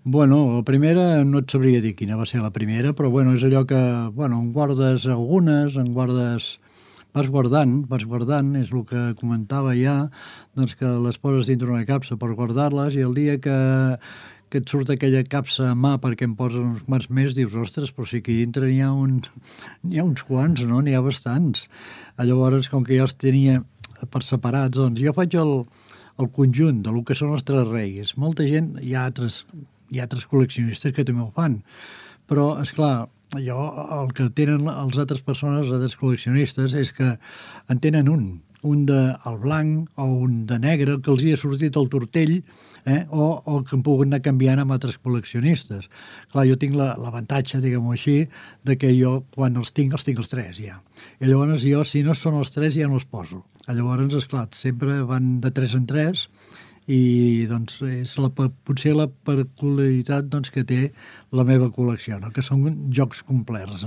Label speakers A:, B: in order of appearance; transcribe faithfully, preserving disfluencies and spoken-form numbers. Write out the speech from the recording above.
A: Bueno, la primera no et sabria dir quina va ser la primera, però bueno, és allò que, bueno, en guardes algunes, en guardes... Vas guardant, vas guardant, és el que comentava ja, doncs que les poses dintre una capsa per guardar-les i el dia que, que et surt aquella capsa a mà perquè em posen uns quants més, dius, ostres, però si aquí dintre n'hi ha, un, n'hi ha uns quants, no? N'hi ha bastants. Llavors, com que jo els tenia per separats, doncs jo faig el, el conjunt de lo que són els tres reis. Molta gent, hi ha altres, hi ha altres col·leccionistes que també ho fan, però, és clar, jo, el que tenen les altres persones, els altres col·leccionistes, és que en tenen un, un de el blanc o un de negre, que els hi ha sortit el tortell, eh? o, o que han pogut anar canviant amb altres col·leccionistes. Clar, jo tinc l'avantatge, la, diguem-ho així, de que jo, quan els tinc, els tinc els tres, ja. I llavors jo, si no són els tres, ja no els poso. Llavors, esclar, sempre van de tres en tres, i doncs és la, potser la peculiaritat doncs, que té la meva col·lecció, no? Que són jocs complets.